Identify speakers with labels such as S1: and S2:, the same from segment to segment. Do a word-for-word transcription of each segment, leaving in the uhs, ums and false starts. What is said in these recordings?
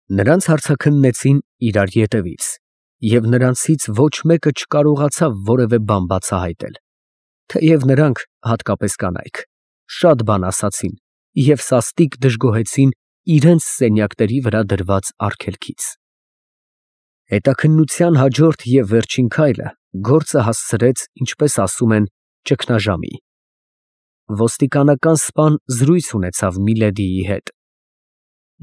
S1: Նրանց հարցաքննեցին իրար ետևից, և նրանցից ոչ մեկը չկարողացավ որևէ բան բացահայտել, թեև նրանք, հատկապես կանայք, շատ բան ասացին և սաստիկ դժգոհեցին իրենց սենյակների վրա դրված արգելքից։ Հետաքննության հաջորդ և վերջին քայլը գործը հասցրեց, ինչպես ասում են, ճգնաժամի։ Ոստիկանական սպան զրույց ունեցավ Միլեդիի հետ։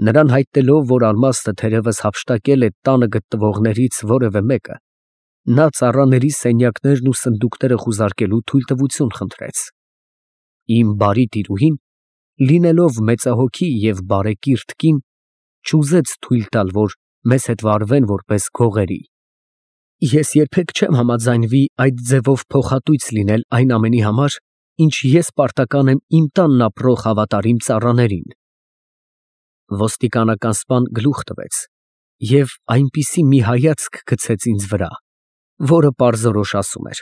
S1: Նրան հայտնելով, որ ալմաստը թերևս հափշտակել է տանը գտնվողներից որևէ մեկը, նա ծառաների սենյակներն ու սնդուկները խուզարկելու թույլտվություն խնդրեց։ Իմ բարի տիրուհին, լինելով մեծահոգի և բարեկիրթ կին, չուզեց թույլ տալ, որ մեզ հետ վարվեն որպես գողերի։ Ես երբեք չեմ համաձայնվի այդ ձևով փոխհատույց լինել այն ամենի համար, ինչ ես պարտական եմ իմ տանն ապրող հավատարիմ ծառաներին։ Ոստիկանական սպան գլուխ տվեց և այնպիսի մի հայացք գցեց ինձ վրա, որը պարզորոշ ասում էր.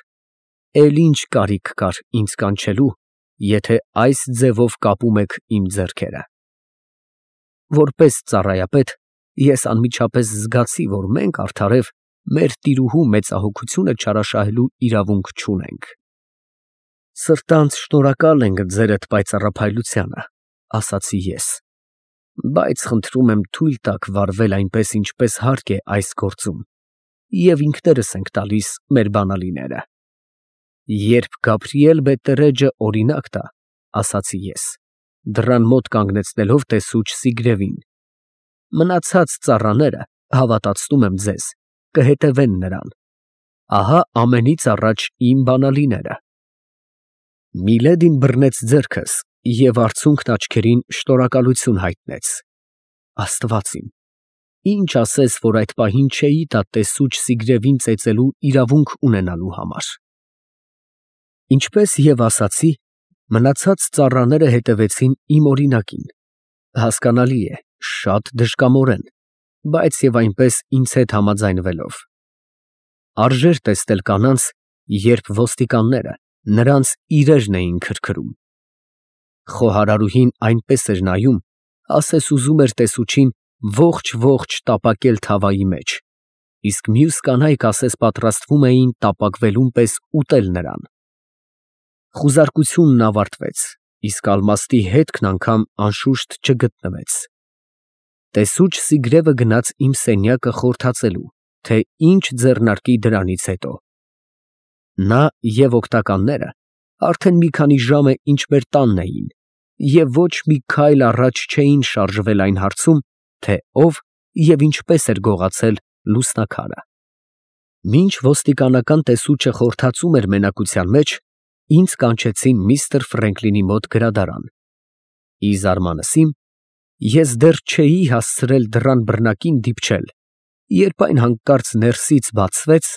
S1: «Էլ ինչ կարիք կար ինձ կանչելու, եթե այս ձևով կապում եք իմ ձեռքերը»։ Որպես ծառայապետ, ես անմիջապես զգացի, որ մենք արդարև մեր տիրուհու մեծահոգությունը չարաշահելու իրավունք չունենք։ «Սրտանց շնորհակալ ենք ձերդ պայծառափայլությանը», ֊ ասացի ես, «բայց խնդրում եմ թույլ տաք վարվել այնպես, ինչպես հարկ է այս գործում, և ինքներս ենք տալիս մեր բանալիները»։ «Երբ Գաբրիել բետտերեջը օրինակ տա, ֊ ասացի ես, դռան մոտ կանգնեցնելով տեսուչ Սիգրևին, ֊ մնացած ծառաները, հավատացնում եմ ձեզ, կհետևեն նրան։ Ահա ամենից առաջ իմ բանալիները»։ Միլեդին բռնեց ձեռքս և արցունքն աչքերին շնորհակալություն հայտնեց։ Աստված իմ, ինչ ասես, որ այդ պահին չէի տա տեսուչ Սիգրևին ծեծելու իրավունք ունենալու համար։ Ինչպես և ասացի, մնացած ծառաները հետևեցին իմ օրինակին, հասկանալի է, շատ դժկամորեն, բայց և այնպես ինձ հետ համաձայնվելով։ Արժեր տեսնել կանանց, երբ ոստիկանները նրանց իրերն էին քրքրում։ Խոհարարուհին այնպես էր նայում, ասես ուզում էր տեսուչին ողջ֊ողջ տապակել թավայի մեջ, իսկ մյուս կանայք ասես պատրաստվում էին տապակվելուն պես ուտել նրան։ Խուզարկությունն ավարտվեց, իսկ ալմաստի հետքն անգամ անշուշտ չգտնվեց։ Տեսուչ Սիգրևը գնաց իմ սենյակը խորհրդածելու, թե ինչ ձեռնարկի դրանից հետո։ Նա և օգնականները արդեն մի քանի ժամ է ինչ մեր տանն էին և ոչ մի քայլ առաջ չէին շարժվել այն հարցում, թե ով և ինչպես էր գողացել լուսնաքարը։ Մինչ ոստիկանական տեսուչը խորհրդածում էր մենակության մեջ, ինձ կանչեցին միստր Ֆրենկլինի մոտ գրադարան։ Ի զարմանս իմ, ես դեռ չէի հասցրել դռան բռնակին դիպչել, երբ այն հանկարծ ներսից բացվեց,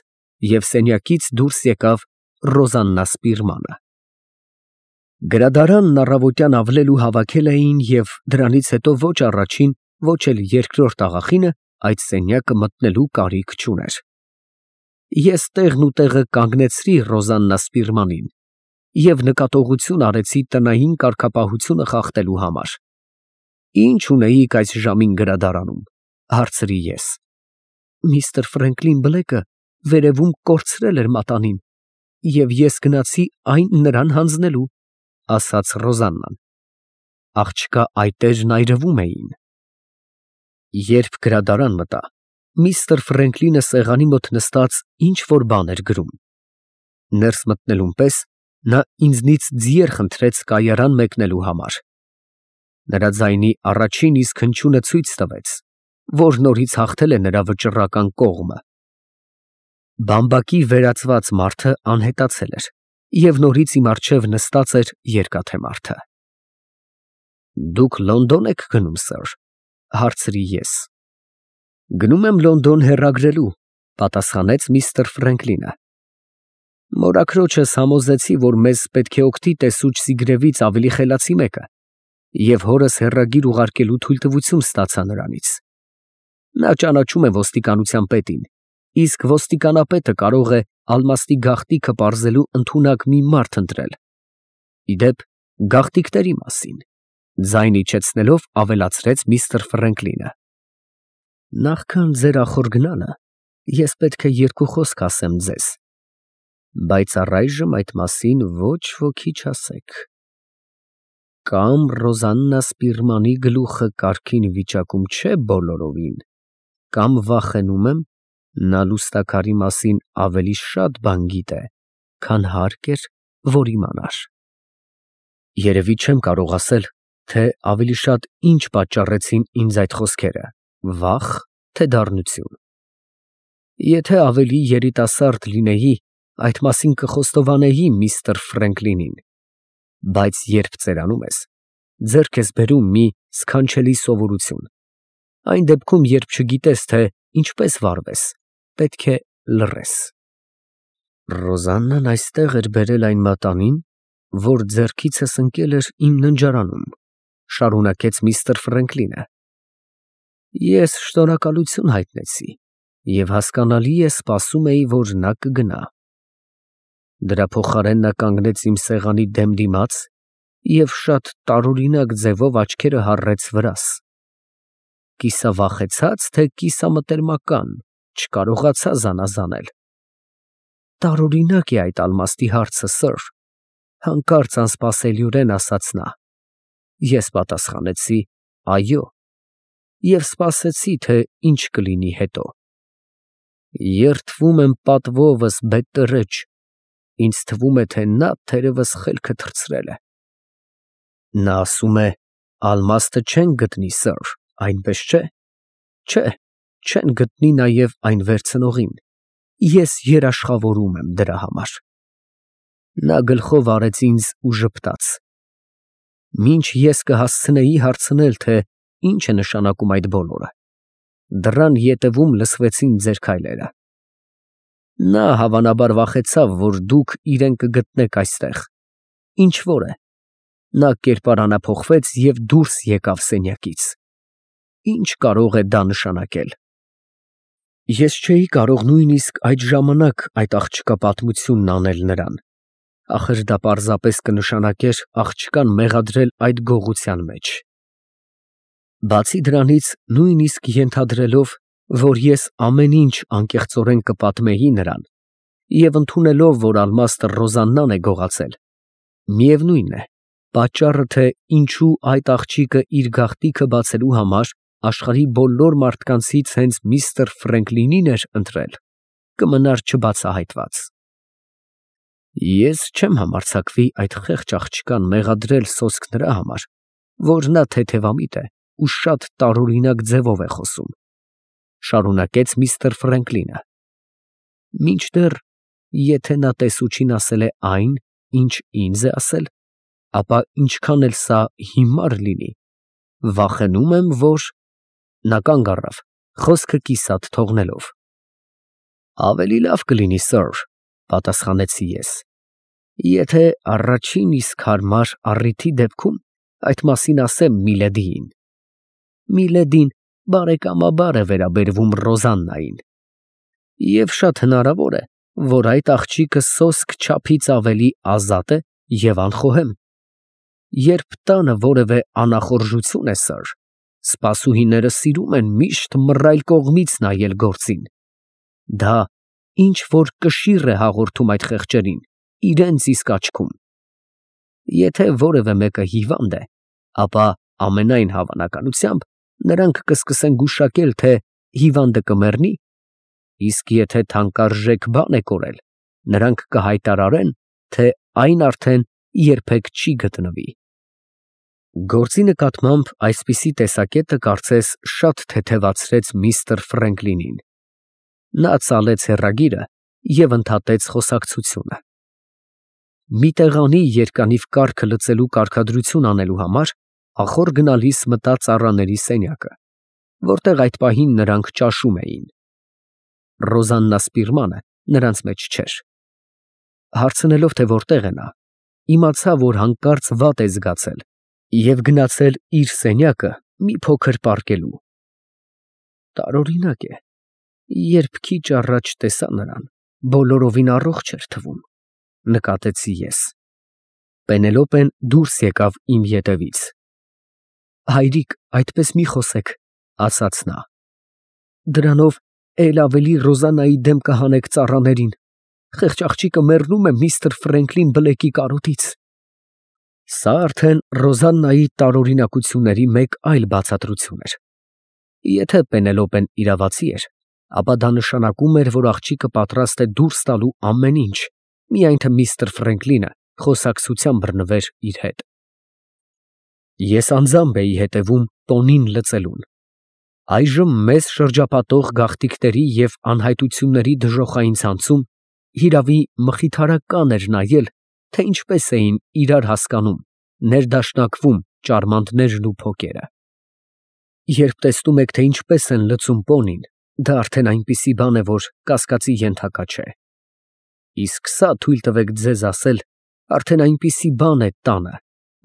S1: և սենյակից դուրս եկավ Ռոզաննա Սպիրմանը։ Գրադարանն առավոտյան ավլելու հավաքել էին և դրանից հետո ոչ առաջին, ոչ էլ երկրորդ աղախինը այդ սենյակը մտնելու կարիք չուներ։ Ես տեղն ու տեղը կանգնեցրի Ռոզաննա Սպիրմանին և նկատողություն արեցի տնային կարգապահությունը խախտելու համար։ «Ի՞նչ ունեիք այս ժամին գրադարանում, ֊ հարցրի ես։ ֊ Միստր Ֆրենկլին Բլեքը վերևում կորցրել էր մատանին, և ես գնացի այն նրան հանձնելու, ֊ ասաց Ռոզաննան։ Աղջկա այտերն այրվում էին։ Երբ գրադարան մտա, միստր Ֆրենկլինը սեղանի մոտ նստած ինչ֊որ բան էր գրում։ Ներս մտնելուն պես նա ինձնից ձիեր խնդրեց կայարան մեկնելու համար։ Նրա ձայնի առաջին իսկ հնչյունը ցույց տվեց, որ նորից հաղթել է նրա վճռական կողմը։ Բամբակի վերածված մարդը անհետացել էր, և նորից իմ առջև նստած էր երկաթե մարդը։ «Դուք Լոնդոն եք գնում, սըր, ֊ հարցրի ես։ ֊ Գնում եմ Լոնդոն հեռագրելու, ֊ պատասխանեց միստր Ֆրենկլինը։ Մորաքրոջս համոզեցի, որ մեզ պետք է օգնի տեսուչ Սիգրևից ավելի խելացի մեկը, և հորս հեռագիր ուղարկելու թույլտվություն ստացա նրանից։ Նա ճանաչում է ոստիկանության պետին, իսկ ոստիկանապետը կարող է ալմաստի գաղտնիքը պարզելու ընդունակ մի մարդ ընտրել։ Ի դեպ, գաղտնիքների մասին, ֊ ձայն իջեցնելով ավելացրեց միստր Ֆրենկլինը։ Նախքան ձեր ախոր գնալը, ես պետք է երկու խոսք ասեմ ձեզ, բայց առայժմ այդ մասին ոչ ոքի չասեք։ Կամ Ռոզաննա Սպիրմանի գլուխը կարգին վիճակում չէ բոլորովին, կամ վախենում եմ, նա լուստաքարի մասին ավելի շատ բան գիտե, քան հարկ էր, որ իմանար։ Երևի չեմ կարող ասել, թե ավելի շատ ինչ պատճառեցին ինձ այդ խոսքերը, վախ, թե դառնություն։ Եթե ավելի երիտասարդ լինեի, այդ մասին կխոստովանեի միստր Ֆրենկլինին, բայց երբ ծերանում ես, ձեռք ես բերում մի սքանչելի սովորություն, այն դեպքում, երբ չգիտես, թե ինչպես վարվես, պետք է լռես։ Ռոզաննան այստեղ էր բերել այն մատանին, որ ձեռքիցս ընկել էր իմ ննջարանում, շարունակեց միստր Ֆրենկլինը։ Ես շնորհակալություն հայտնեցի և հասկանալի է սպասում էի, որ նա կգնա։ Դրա փոխարեն նա կանգնեց իմ սեղանի դեմ դիմաց և շատ տարօրինակ ձևով աչքերը հառեց վրաս։ Կիսավախեցած, թե կիսամտերմական, չկարողացա զանազանել։ Տարօրինակ է այդ ալմաստի հարցը, սըր, հանկարծ անսպասելիորեն ասաց նա։ Ես պատասխանեցի այո և սպասեցի, թե ինչ կլինի հետո։ Երդվում եմ պատվովս բետտերեջ, ինձ թվում է, թե նա թերևս խելքը թռցրել է։ Նա ասում է, ալմաստը չեն գտնի, սըր, այնպես չէ։ Չէ, չեն գտնի նաև այն վերցնողին, ես երաշխավորում եմ դրա համար։ Նա գլխով արեց ինձ ու ժպտաց։ Մինչ ես կհասցնեի հարցնել, թե ինչ է նշանակում այդ բոլորը, դռան ետևում լսվեցին ձեր քայլերը։ Նա հավանաբար վախեցավ, որ դուք իրեն կգտնեք այստեղ, ինչ որ է, նա կերպարանափոխվեց և դուրս եկավ սենյակից։ Ինչ կարող է դա նշանակել։ Ես չէի կարող նույնիսկ այդ ժամանակ այդ աղջկա պատմությունն անել նրան, ախր դա պարզապես կնշանակեր աղջկան մեղադրել այդ գողության մեջ։ Բացի դրանից, նույնիսկ ենթադրելով, որ ես ամեն ինչ անկեղծորեն կպատմեի նրան, և ընդունելով, որ ալմաստը Ռոզաննան է գողացել, միևնույն է, պատճառը, թե ինչու այդ աղջիկը իր գաղտնիքը բացելու համար աշխարհի բոլոր մարդկանցից հենց միստր Ֆրենկլինին էր ընտրել, կմնար չբացահայտված։ Ես չեմ համարձակվի այդ խեղճ աղջկան մեղադրել սոսկ նրա համար, որ նա թեթևամիտ է ու շատ տարօրինակ ձևով է խոսում, շարունակեց միստր Ֆրենկլինը։ Մինչդեռ, եթե նա տեսուչին ասել է այն, ինչ ինձ է ասել, ապա ինչքան էլ սա հիմար լինի, վախենում եմ, որ… Նա կանգ առավ, խոսքը կիսատ թողնելով։ Ավելի լավ կլինի, սըր, պատասխանեցի ես, եթե առաջին իսկ հարմար առիթի դեպքում այդ մասին ասեմ միլեդիին։ Միլեդին բարեկամաբար է վերաբերվում Ռոզաննային, և շատ հնարավոր է, որ այդ աղջիկը սոսկ չափից ավելի ազատ է և անխոհեմ։ Երբ տանը որևէ անախորժություն է, սըր, սպասուհիները սիրում են միշտ մռայլ կողմից նայել գործին։ Դա ինչ որ կշիռ է հաղորդում այդ խեղճերին իրենց իսկ աչքում։ Եթե որևէ մեկը հիվանդ է, ապա ամենայն հավանականությամբ նրանք կսկսեն գուշակել, թե հիվանդը կմեռնի, իսկ եթե թանկարժեք բան է կորել, նրանք կհայտարարեն, թե այն արդեն երբեք չի գտնվի։ Գործի նկատմամբ այսպիսի տեսակետը կարծես շատ թեթևացրեց միստր Ֆրենկլինին։ Նա ծալեց հեռագիրը և ընդհատեց խոսակցությունը։ Մի տեղանի երկանիվ կառքը լուծելու կարգադրություն անելու համար ախոր գնալիս մտա ծառաների սենյակը, որտեղ այդ պահին նրանք ճաշում էին։ Ռոզաննա Սպիրմանը նրանց մեջ չէր։ Հարցնելով, թե որտեղ է նա, իմացա, որ հանկարծ վատ է զգացել և գնացել իր սենյակը մի փոքր պառկելու։ Տարօրինակ է, երբ քիչ առաջ տեսա նրան, բոլորովին առողջ էր թվում, նկատեցի ես։ Պենելոպեն դուրս եկավ իմ ետևից։ Հայրիկ, այդպես մի խոսեք, ասաց նա։ Դրանով էլ ավելի Ռոզանայի դեմ կհանեք ծառաներին։ Խեղճ աղջիկը մեռնում է միստր Ֆրենկլին Բլեքի կարոտից։ Սա արդեն Ռոզաննայի տարօրինակությունների մեկ այլ բացատրություն էր։ Եթե Պենելոպեն իրավացի էր, ապա դա նշանակում էր, որ աղջիկը պատրաստ է դուրս տալու ամեն ինչ, միայն թե միստր Ֆրենկլինը խոսակցության բռնվեր իր հետ։ Ես անձամբ էի հետևում տոնին լծելուն։ Այժմ մեզ շրջապատող գաղտիկների և անհայտությունների դժոխային ցանցում հիրավի մխիթարական էր նայել, թե ինչպես էին իրար հասկանում, ներդաշնակվում ճարմանտներն ու փոկերը։ Երբ տեսնում եք, թե ինչպես են լծում պոնին, դա արդեն այնպիսի բան է, որ կասկածի ենթակա չէ։ Իսկ սա, թույլ տվեք ձեզ ասել, արդեն այնպիսի բան է տանը,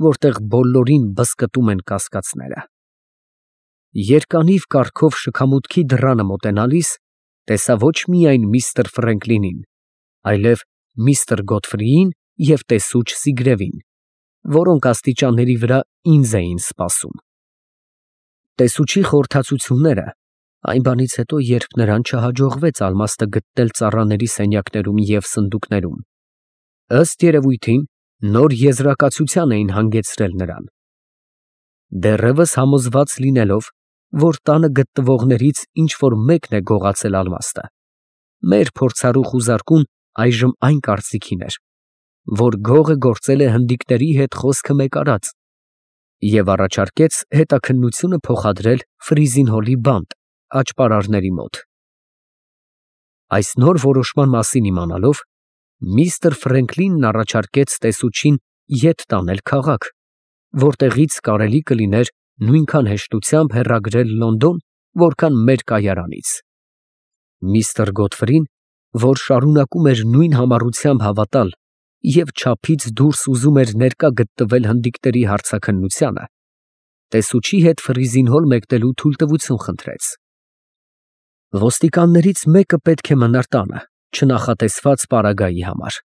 S1: որտեղ բոլորին բզկտում են կասկածները։ Երկանիվ կառքով շքամուտքի դռանը մոտենալիս, տեսա ոչ միայն միստր Ֆրենկլինին, այլև միստր Գոթֆրիին և տեսուչ Սիգրևին, որոնք աստիճանների վրա ինձ էին սպասում։ Տեսուչի խորհրդածությունները, այն բանից հետո, երբ նրան չհաջողվեց ալմաստը գտնել ծառաների սենյակներում և սնդուկներում, ըստ երևույթին, նոր եզրակացության էին հանգեցրել նրան։ Դեռևս համոզված լինելով, որ տանը գտնվողներից ինչ֊որ մեկն է գողացել ալմաստը, մեր փորձառու խուզարկուն այժմ այն կարծիքին էր, որ գողը գործել է հնդիկների հետ խոսքը մեկարած, և առաջարկեց հետաքննությունը փոխադրել Ֆրիզինհոլի բանտ աճպարարների մոտ։ Այս նոր որոշման մասին իմանալով, միստր Ֆրենկլինն առաջարկեց տեսուչին ետ տանել քաղաք, որտեղից կարելի կլիներ նույնքան հեշտությամբ հեռագրել Լոնդոն, որքան մեր կայարանից։ Միստր Գոթֆրին, որ շարունակում էր նույն համառությամբ հավատալ և չափից դուրս ուզում էր ներկա գտնվել հնդիկների հարցաքննությանը, տեսուչի հետ Ֆրիզինհոլ մեկնելու թույլտվություն խնդրեց։ Ոստիկաններից մեկը պետք է մնար տանը, չնախատեսված պարագայի համար։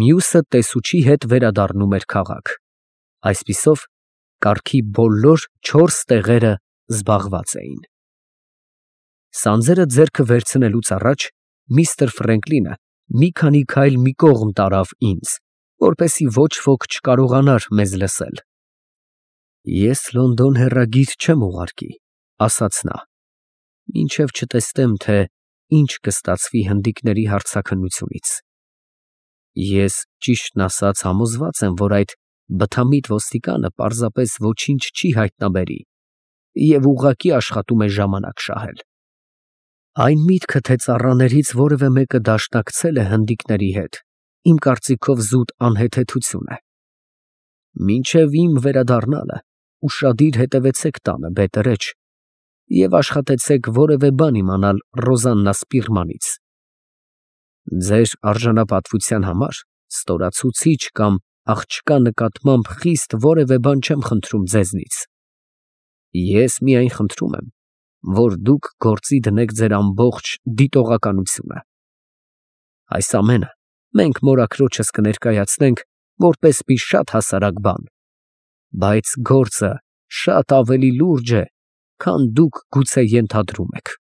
S1: Մյուսը տեսուչի հետ վերադառնում էր քաղաք։ Այսպիսով, կառքի բոլոր չորս տեղերը զբաղված էին։ Սանձերը ձեռքը վերցնելուց առաջ միստր Ֆրենկլինը մի քանի քայլ մի կողմ տարավ ինձ, որպեսզի ոչ ոք չկարողանար մեզ լսել։ Ես Լոնդոն հեռագիր չեմ ուղարկի, ասաց նա, մինչև չտեսնեմ, թե ինչ կստացվի հնդիկների հարցաքննությունից։ Ես, ճիշտն ասած, համոզված եմ, որ այդ բթամիտ ոստիկանը պարզապես ոչինչ չի հայտնաբերի և ուղղակի աշխատում է ժամանակ շահել։ Այն միտքը, թե ծառաներից որևէ մեկը դաշնակցել է հնդիկների հետ, իմ կարծիքով զուտ անհեթեթություն է։ Մինչև իմ վերադառնալը ուշադիր հետևեցեք տանը, բետերեջ, և աշխատեցեք որևէ բան իմանալ Ռոզաննա Սպիրմանից։ Ձեր արժանապատվության համար ստորացուցիչ կամ աղջկա նկատմամբ խիստ որևէ բան չեմ խնդրում ձեզնից։ Ես միայն խնդրում եմ, որ դուք գործի դնեք ձեր ամբողջ դիտողականությունը։ Այս ամենը մենք մորաքրոջս կներկայացնենք որպես մի շատ հասարակ բան, բայց գործը շատ ավելի լուրջ է, քան դուք գուցե ենթադրում եք։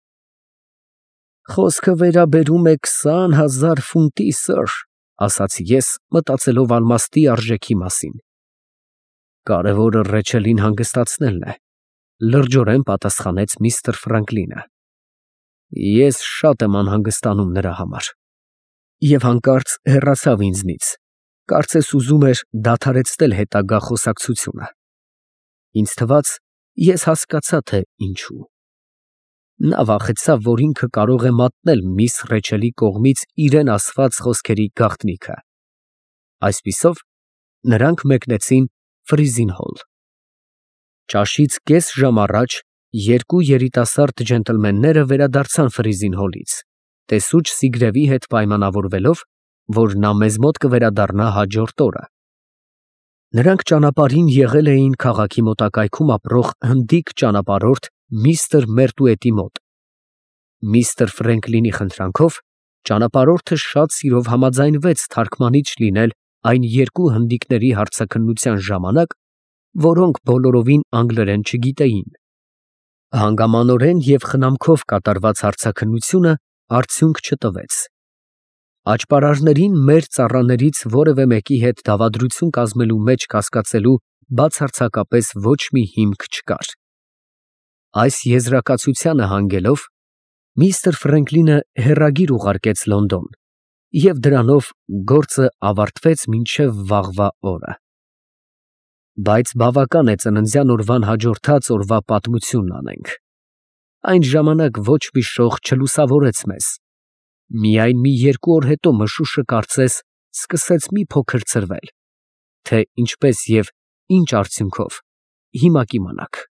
S1: Խոսքը վերաբերում է քսան հազար ֆունտի, սըր, ասացի ես, մտածելով ալմաստի արժեքի մասին։ Կարևորը Ռեչելին հանգստացնելն է, լրջորեն պատասխանեց միստր Ֆրանկլինը։ Ես շատ եմ անհանգստանում նրա համար։ Եվ հանկարծ հեռացավ ինձնից, կարծես ուզում էր դադարեցնել հետագա խոսակցությունը։ Ինձ թվաց, ես հասկացա, թե ինչու։ Նա վախեցավ, որ ինքը կարող է մատնել միս Ռեչելի կողմից իրեն ասված խոսքերի գաղտնիքը։ Այսպիսով, նրանք մեկնեցին Ֆրիզինհոլ։ Ճաշից կես ժամ առաջ երկու երիտասարդ ջենտլմենները վերադարձան Ֆրիզինհոլից, տեսուչ Սիգրևի հետ պայմանավորվելով, որ նա մեզ մոտ կվերադառնա հաջորդ օրը։ Նրանք ճանապարհին եղել էին քաղաքի մոտակայքում ապրող հնդիկ ճանապարհորդ միստր Մերտուետի մոտ։ Միստր Ֆրենկլինի խնդրանքով ճանապարհորդը շատ սիրով համաձայնվեց թարգմանիչ լինել այն երկու հնդիկների հարցաքննության ժամանակ, որոնք բոլորովին անգլերեն չգիտեին։ Հանգամանորեն և խնամքով կատարված հարցաքննությունը արդյունք չտվեց։ Աճպարարներին մեր ծառաներից որևէ մեկի հետ դավադրություն կազմելու մեջ կասկածելու բացարձակապես ոչ մի հիմք չկար։ Այս եզրակացությանը հանգելով, միստր Ֆրենկլինը հեռագիր ուղարկեց Լոնդոն, և դրանով գործը ավարտվեց մինչև վաղվա օրը։ Բայց բավական է ծննդյան օրվան հաջորդած օրվա պատմությունն անենք. այն ժամանակ ոչ մի շող չլուսավորեց մեզ, միայն մի երկու օր հետո մշուշը կարծես սկսեց մի փոքր ցրվել, թե ինչպես և ինչ արդյունքով, հիմա կիմանաք։